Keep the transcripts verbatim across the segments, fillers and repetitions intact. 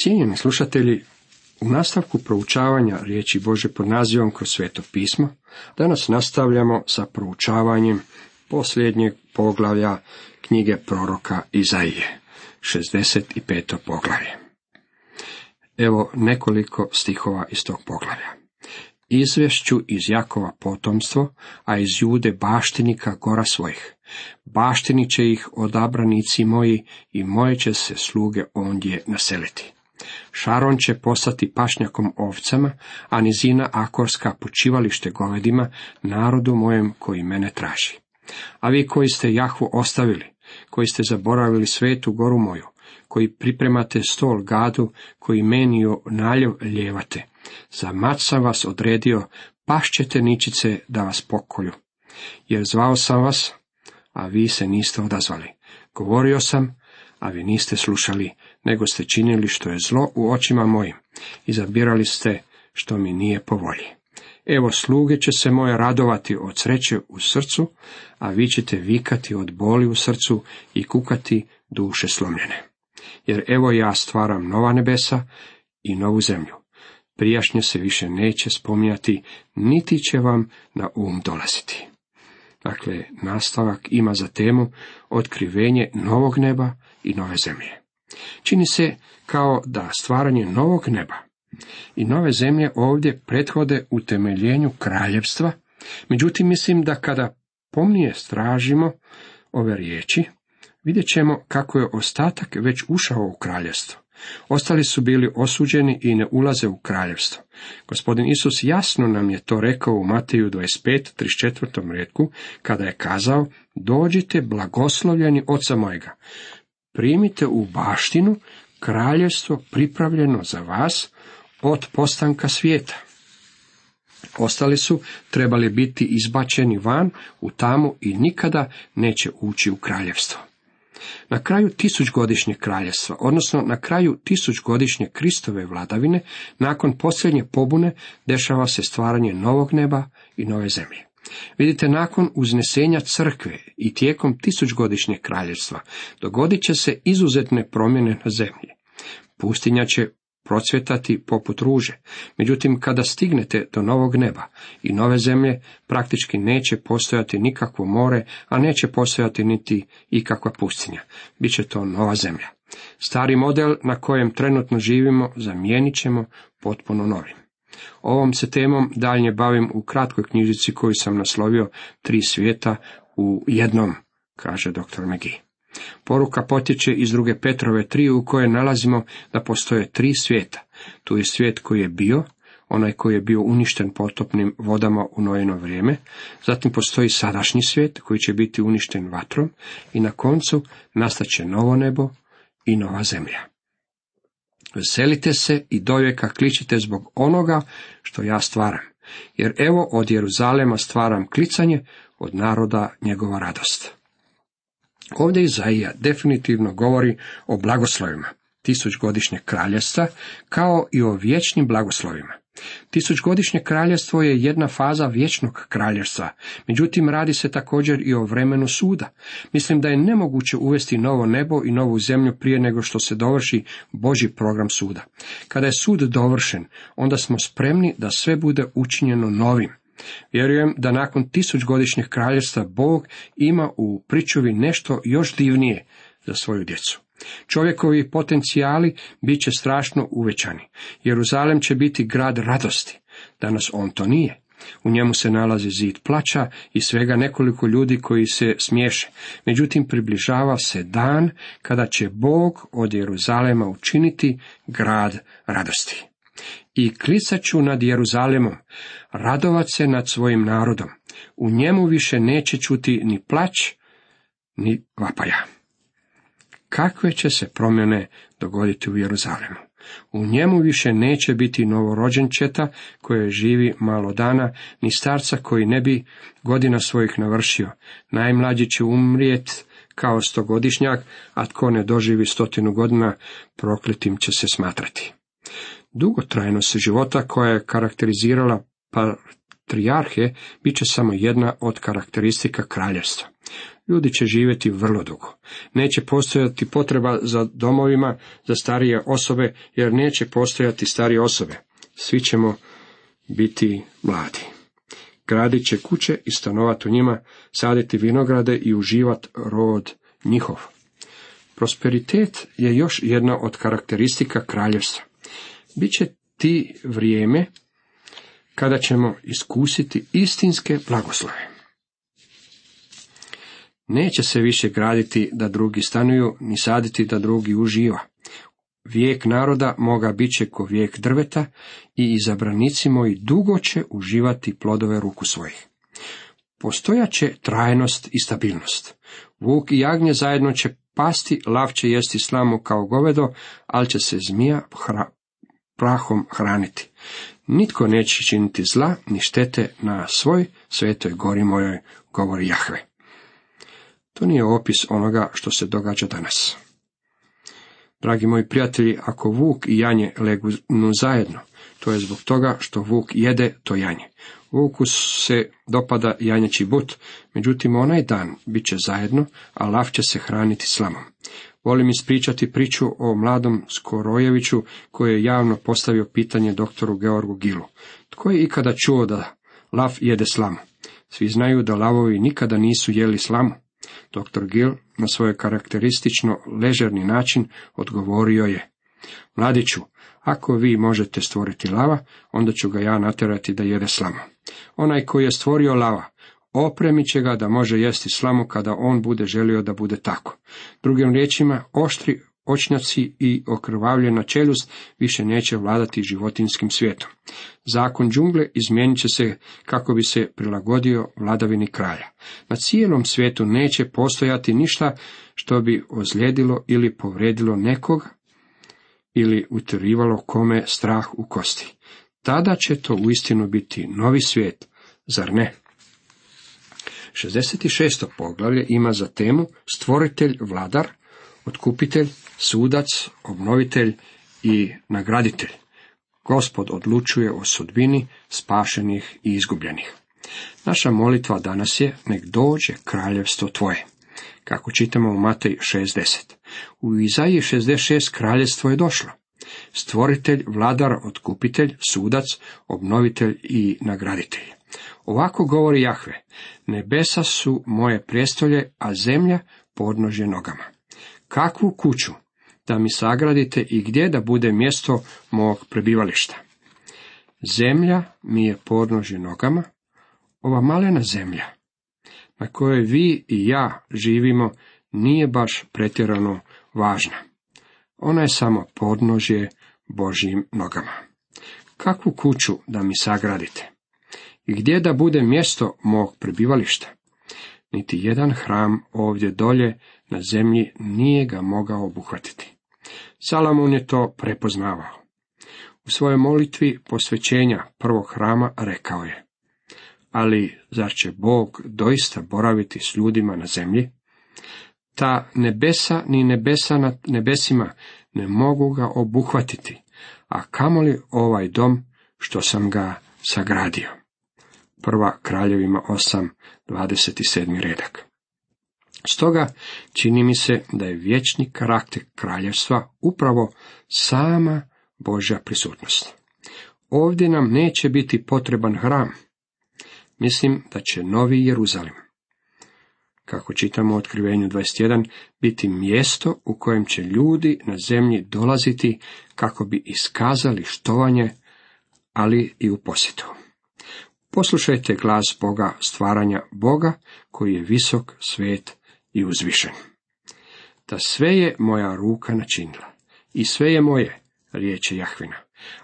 Cijenjeni slušatelji, u nastavku proučavanja riječi Božje pod nazivom kroz Sveto pismo, danas nastavljamo sa proučavanjem posljednjeg poglavlja knjige proroka Izaije, šezdeset peto poglavlje. Evo nekoliko stihova iz tog poglavlja. Izvešću iz Jakova potomstvo, a iz Jude baštinika gora svojih. Baštinit će ih odabranici moji i moje će se sluge ondje naseliti. Šaron će postati pašnjakom ovcama, a nizina Akorska počivalište govedima, narodu mojem koji mene traži. A vi koji ste Jahvu ostavili, koji ste zaboravili svetu goru moju, koji pripremate stol Gadu, koji meniju naljev ljevate, za mat sam vas odredio, pašćete ničice da vas pokolju. Jer zvao sam vas, a vi se niste odazvali. Govorio sam, a vi niste slušali, nego ste činili što je zlo u očima mojim. Izabirali ste što mi nije po volji. Evo sluge će se moje radovati od sreće u srcu, a vi ćete vikati od boli u srcu i kukati duše slomljene. Jer evo ja stvaram nova nebesa i novu zemlju. Prijašnje se više neće spominjati, niti će vam na um dolaziti. Dakle, nastavak ima za temu otkrivenje novog neba i nove zemlje. Čini se kao da stvaranje novog neba i nove zemlje ovdje prethode utemeljenju kraljevstva, međutim mislim da kada pomnije stražimo ove riječi, vidjet ćemo kako je ostatak već ušao u kraljevstvo. Ostali su bili osuđeni i ne ulaze u kraljevstvo. Gospodin Isus jasno nam je to rekao u Mateju dvadeset pet, trideset četvrtom retku, kada je kazao: dođite blagoslovljeni oca mojega, primite u baštinu kraljevstvo pripravljeno za vas od postanka svijeta. Ostali su trebali biti izbačeni van u tamu i nikada neće ući u kraljevstvo. Na kraju tisućgodišnjeg kraljevstva, odnosno na kraju tisućgodišnje Kristove vladavine, nakon posljednje pobune, dešava se stvaranje novog neba i nove zemlje. Vidite, nakon uznesenja crkve i tijekom tisućgodišnjeg kraljevstva dogodit će se izuzetne promjene na zemlji. Pustinja će procvjetati poput ruže, međutim kada stignete do novog neba i nove zemlje, praktički neće postojati nikakvo more, a neće postojati niti ikakva pustinja. Biće to nova zemlja. Stari model na kojem trenutno živimo zamijenit ćemo potpuno novim. Ovom se temom daljnje bavim u kratkoj knjižici koju sam naslovio Tri svijeta u jednom, kaže doktor McGee. Poruka potječe iz druge Petrove tri u kojoj nalazimo da postoje tri svijeta. Tu je svijet koji je bio, onaj koji je bio uništen potopnim vodama u Noino vrijeme, zatim postoji sadašnji svijet koji će biti uništen vatrom i na koncu nastaće novo nebo i nova zemlja. Veselite se i dovijeka kličite zbog onoga što ja stvaram, jer evo od Jeruzalema stvaram klicanje, od naroda njegova radost. Ovdje Izaija definitivno govori o blagoslovima tisućgodišnjeg kraljevstva, kao i o vječnim blagoslovima. Tisućgodišnje kraljevstvo je jedna faza vječnog kraljevstva, međutim radi se također i o vremenu suda. Mislim da je nemoguće uvesti novo nebo i novu zemlju prije nego što se dovrši Božji program suda. Kada je sud dovršen, onda smo spremni da sve bude učinjeno novim. Vjerujem da nakon tisućgodišnjeg kraljevstva Bog ima u pričuvi nešto još divnije za svoju djecu. Čovjekovi potencijali bit će strašno uvećani. Jeruzalem će biti grad radosti. Danas on to nije. U njemu se nalazi zid plača i svega nekoliko ljudi koji se smiješe. Međutim, približava se dan kada će Bog od Jeruzalema učiniti grad radosti. I klicat ću nad Jeruzalemom, radovat se nad svojim narodom. U njemu više neće čuti ni plać, ni vapaja. Kakve će se promjene dogoditi u Jeruzalemu? U njemu više neće biti novorođenčeta koje živi malo dana, ni starca koji ne bi godina svojih navršio. Najmlađi će umrijet kao stogodišnjak, a tko ne doživi stotinu godina, prokletim će se smatrati. Dugotrajnost života koja je karakterizirala patrijarhe bit će samo jedna od karakteristika kraljevstva. Ljudi će živjeti vrlo dugo. Neće postojati potreba za domovima za starije osobe, jer neće postojati starije osobe. Svi ćemo biti mladi. Gradit će kuće i stanovati u njima, saditi vinograde i uživati rod njihov. Prosperitet je još jedna od karakteristika kraljevstva. Biće ti vrijeme kada ćemo iskusiti istinske blagoslove. Neće se više graditi da drugi stanuju, ni saditi da drugi uživa. Vijek naroda moga bit će ko vijek drveta i izabranici moji dugo će uživati plodove ruku svojih. Postojaće trajnost i stabilnost. Vuk i jagnje zajedno će pasti, lav će jesti slamu kao govedo, ali će se zmija hra, prahom hraniti. Nitko neće činiti zla, ni štete na svoj svetoj gori mojoj, govori Jahve. To nije opis onoga što se događa danas. Dragi moji prijatelji, ako vuk i janje legnu zajedno, to je zbog toga što vuk jede to janje. Vuku se dopada janjeći but, međutim onaj dan bit će zajedno, a lav će se hraniti slamom. Volim ispričati priču o mladom Skorojeviću koji je javno postavio pitanje doktoru Georgu Gilu. Tko je ikada čuo da lav jede slamu? Svi znaju da lavovi nikada nisu jeli slamu. Doktor Gil na svoj karakteristično ležerni način odgovorio je: Mladiću, ako vi možete stvoriti lava, onda ću ga ja natjerati da jede slamu. Onaj koji je stvorio lava, opremit će ga da može jesti slamu kada on bude želio da bude tako. Drugim riječima, oštri očnjaci i okrvavljena čeljust više neće vladati životinjskim svijetom. Zakon džungle izmijenit će se kako bi se prilagodio vladavini kralja. Na cijelom svijetu neće postojati ništa što bi ozlijedilo ili povredilo nekoga ili utjerivalo kome strah u kosti. Tada će to uistinu biti novi svijet, zar ne? šezdeset šesto poglavlje ima za temu stvoritelj, vladar, otkupitelj, sudac, obnovitelj i nagraditelj. Gospod odlučuje o sudbini spašenih i izgubljenih. Naša molitva danas je: nek dođe kraljevstvo tvoje, kako čitamo u Matej šest deset. U Izaiji šezdeset šest kraljevstvo je došlo. Stvoritelj, vladar, otkupitelj, sudac, obnovitelj i nagraditelj. Ovako govori Jahve: nebesa su moje prijestolje, a zemlja podnožje nogama. Kakvu kuću da mi sagradite i gdje da bude mjesto mog prebivališta? Zemlja mi je podnožje nogama. Ova malena zemlja na kojoj vi i ja živimo nije baš pretjerano važna. Ona je samo podnožje Božjim nogama. Kakvu kuću da mi sagradite? I gdje da bude mjesto mog prebivališta? Niti jedan hram ovdje dolje na zemlji nije ga mogao obuhvatiti. Salomon je to prepoznavao. U svojoj molitvi posvećenja prvog hrama rekao je: ali zar će Bog doista boraviti s ljudima na zemlji? Ta nebesa ni nebesa nad nebesima ne mogu ga obuhvatiti, a kamoli ovaj dom što sam ga sagradio. Prva Kraljevima osam, dvadeset sedmi redak. Stoga čini mi se da je vječni karakter kraljevstva upravo sama Božja prisutnost. Ovdje nam neće biti potreban hram. Mislim da će Novi Jeruzalim, kako čitamo u Otkrivenju dvadeset jedan, biti mjesto u kojem će ljudi na zemlji dolaziti kako bi iskazali štovanje, ali i u posjetu. Poslušajte glas Boga stvaranja, Boga koji je visok, svet i uzvišen. Da sve je moja ruka načinila i sve je moje, riječ je Jahvina.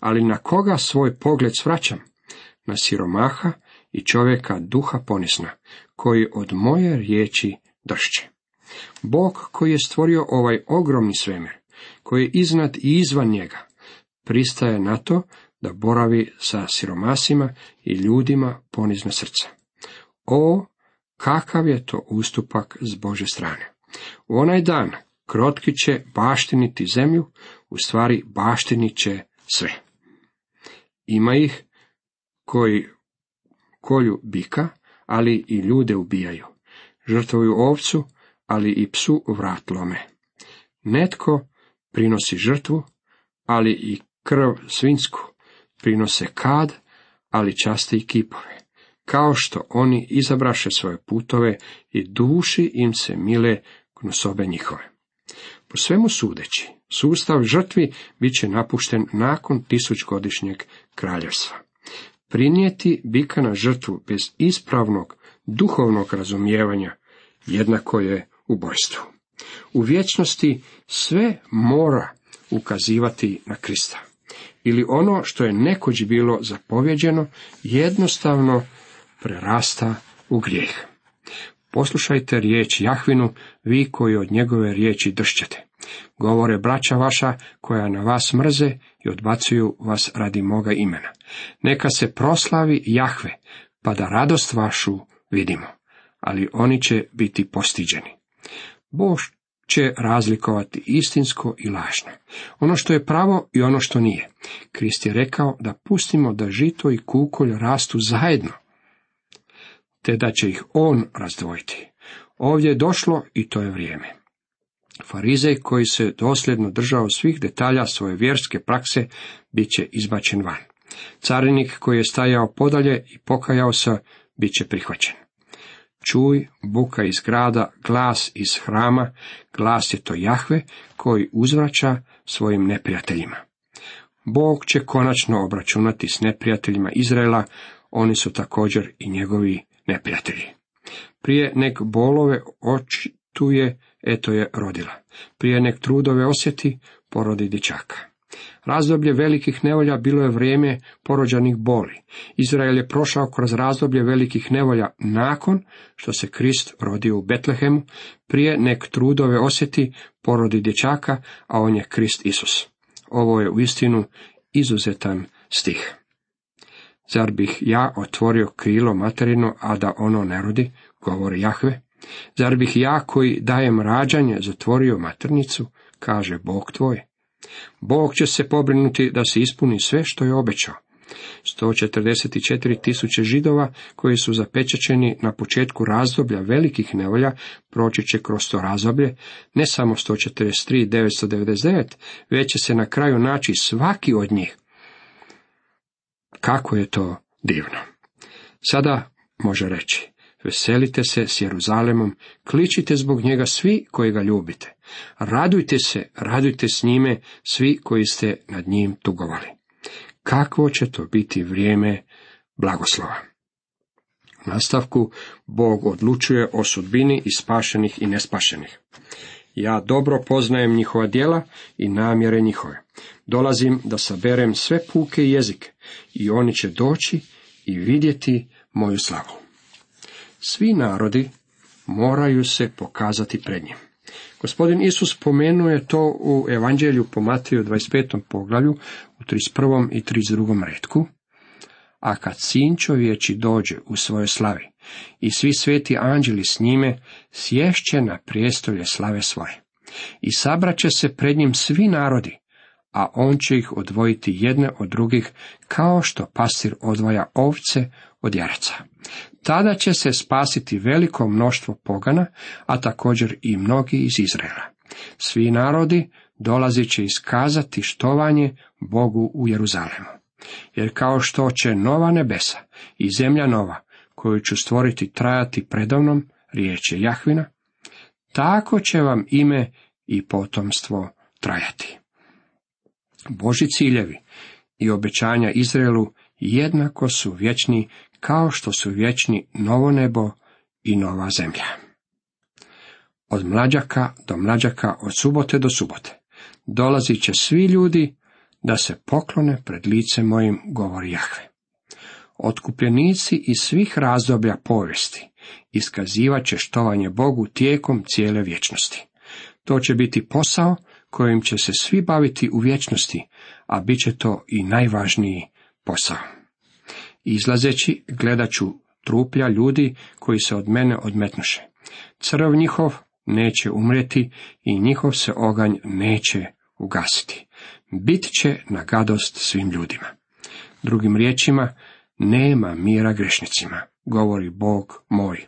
Ali na koga svoj pogled svraćam? Na siromaha i čovjeka duha ponisna, koji od moje riječi dršće. Bog koji je stvorio ovaj ogromni svemir, koji je iznad i izvan njega, pristaje na to da boravi sa siromasima i ljudima ponizna srca. O, kakav je to ustupak s Božje strane! U onaj dan krotki će baštiniti zemlju, u stvari baštinit će sve. Ima ih koji kolju bika, ali i ljude ubijaju. žrtvuju ovcu, ali i psu vrat lome. Netko prinosi žrtvu, ali i krv svinjsku, prinose kad, ali časti i kipove, kao što oni izabraše svoje putove i duši im se mile gnusobe njihove. Po svemu sudeći, sustav žrtvi bit će napušten nakon tisućgodišnjeg kraljevstva. Prinijeti bika na žrtvu bez ispravnog duhovnog razumijevanja jednako je ubojstvu. U vječnosti sve mora ukazivati na Krista. Ili ono što je nekoć bilo zapovjeđeno jednostavno prerasta u grijeh. Poslušajte riječ Jahvinu, vi koji od njegove riječi dršćete. Govore braća vaša koja na vas mrze i odbacuju vas radi moga imena. Neka se proslavi Jahve, pa da radost vašu vidimo, ali oni će biti postiđeni. Bog će razlikovati istinsko i lažno, ono što je pravo i ono što nije. Krist je rekao da pustimo da žito i kukolj rastu zajedno, te da će ih on razdvojiti. Ovdje je došlo i to je vrijeme. Farizej koji se dosljedno držao svih detalja svoje vjerske prakse bit će izbačen van. Carinik koji je stajao podalje i pokajao se bit će prihvaćen. Čuj, buka iz grada, glas iz hrama, glas je to Jahve koji uzvraća svojim neprijateljima. Bog će konačno obračunati s neprijateljima Izraela, oni su također i njegovi neprijatelji. Prije nek bolove očituje, eto je rodila. Prije nek trudove osjeti, porodi dječaka. Razdoblje velikih nevolja bilo je vrijeme porođanih boli. Izrael je prošao kroz razdoblje velikih nevolja nakon što se Krist rodio u Betlehemu. Prije nek trudove osjeti, porodi dječaka, a on je Krist Isus. Ovo je uistinu izuzetan stih. Zar bih ja otvorio krilo materino, a da ono ne rodi, govori Jahve? Zar bih ja koji dajem rađanje zatvorio maternicu, kaže Bog tvoj? Bog će se pobrinuti da se ispuni sve što je obećao. sto četrdeset četiri tisuće Židova koji su zapečaćeni na početku razdoblja velikih nevolja proći će kroz to razdoblje, ne samo sto četrdeset tri tisuće devetsto devedeset devet, već će se na kraju naći svaki od njih. Kako je to divno! Sada može reći, veselite se s Jeruzalemom, kličite zbog njega svi koji ga ljubite. Radujte se, radujte s njime svi koji ste nad njim tugovali. Kakvo će to biti vrijeme blagoslova! U nastavku Bog odlučuje o sudbini i spašenih i nespašenih. Ja dobro poznajem njihova djela i namjere njihove. Dolazim da saberem sve puke i jezike i oni će doći i vidjeti moju slavu. Svi narodi moraju se pokazati pred njim. Gospodin Isus spomenuo je to u Evanđelju po Mateju dvadeset petom poglavlju u trideset prvom i trideset drugom retku. A kad sin čovječi dođe u svojoj slavi i svi sveti anđeli s njime, sješće na prijestolje slave svoje. I sabraće se pred njim svi narodi, a on će ih odvojiti jedne od drugih, kao što pastir odvaja ovce od jaraca. Tada će se spasiti veliko mnoštvo pogana, a također i mnogi iz Izraela. Svi narodi dolazit će iskazati štovanje Bogu u Jeruzalemu. Jer kao što će nova nebesa i zemlja nova, koju ću stvoriti trajati predavnom, riječ je Jahvina, tako će vam ime i potomstvo trajati. Božji ciljevi i obećanja Izraelu jednako su vječni kao što su vječni novo nebo i nova zemlja. Od mlađaka do mlađaka, od subote do subote, dolazit će svi ljudi da se poklone pred licem mojim, govori Jahve. Otkupljenici iz svih razdoblja povijesti iskazivat će štovanje Bogu tijekom cijele vječnosti. To će biti posao kojim će se svi baviti u vječnosti, a bit će to i najvažniji posao. Izlazeći gledat ću truplja ljudi koji se od mene odmetnuše. Crv njihov neće umrijeti i njihov se oganj neće ugasiti. Bit će na gadost svim ljudima. Drugim riječima, nema mira grešnicima, govori Bog moj.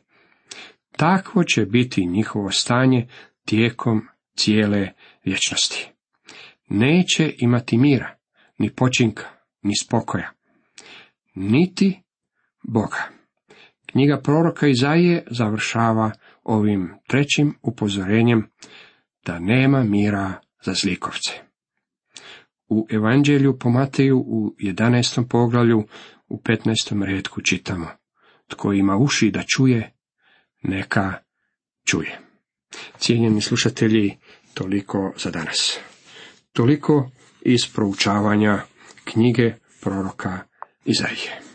takvo će biti njihovo stanje tijekom cijele vječnosti. Neće imati mira, ni počinka, ni spokoja, niti Boga. Knjiga proroka Izaije završava ovim trećim upozorenjem da nema mira za zlikovce. U Evanđelju po Mateju u jedanaestom poglavlju u petnaestom retku čitamo: tko ima uši da čuje, neka čuje. Cijenjeni slušatelji, toliko za danas. Toliko iz proučavanja knjige proroka Izaije.